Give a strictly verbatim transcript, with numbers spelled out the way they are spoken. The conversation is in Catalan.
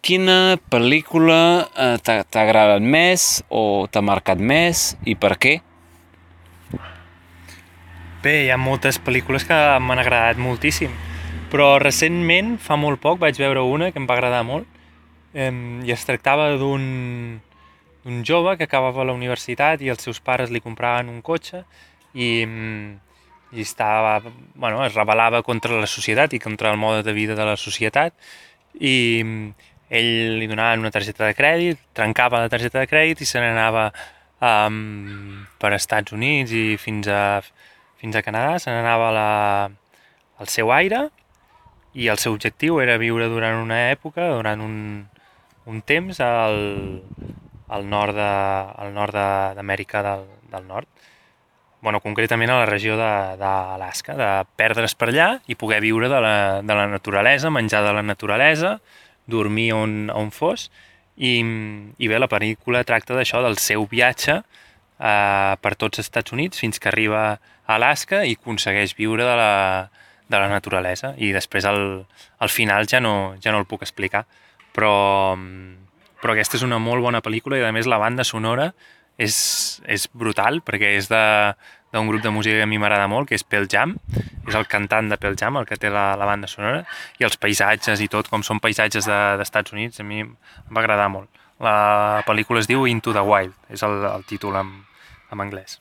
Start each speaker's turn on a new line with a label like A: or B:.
A: quina pel·lícula eh, t'ha t'ha agradat més o t'ha marcat més i per què?
B: Bé, hi ha moltes pel·lícules que m'han agradat moltíssim, però recentment, fa molt poc, vaig veure una que em va agradar molt em, i es tractava d'un d'un jove que acabava la universitat i els seus pares li compraven un cotxe i, em, i estava, bueno, es rebel·lava contra la societat i contra el mode de vida de la societat i em, ell li donaven una targeta de crèdit, trencava la targeta de crèdit i se n'anava um, per Estats Units i fins a, fins a Canadà, se n'anava a la, al seu aire i el seu objectiu era viure durant una època, durant un, un temps al, al nord de, al nord d'Amèrica del, del Nord. Bueno, concretament a la regió d'Alaska, de, de perdre's per allà i poder viure de la, de la naturalesa, menjar de la naturalesa, dormir on, on fos, i, i bé, la pel·lícula tracta d'això, del seu viatge eh, per tots els Estats Units fins que arriba a Alaska i aconsegueix viure de la, de la naturalesa. I després al, al final ja no, ja no el puc explicar, però, però aquesta és una molt bona pel·lícula i a més la banda sonora és, és brutal perquè és de d'un grup de música que a mi m'agrada molt, que és Pearl Jam, és el cantant de Pearl Jam el que té la, la banda sonora, i els paisatges i tot, com són paisatges de, d'Estats Units, a mi em va agradar molt. La pel·lícula es diu Into the Wild, és el, el títol en, en anglès.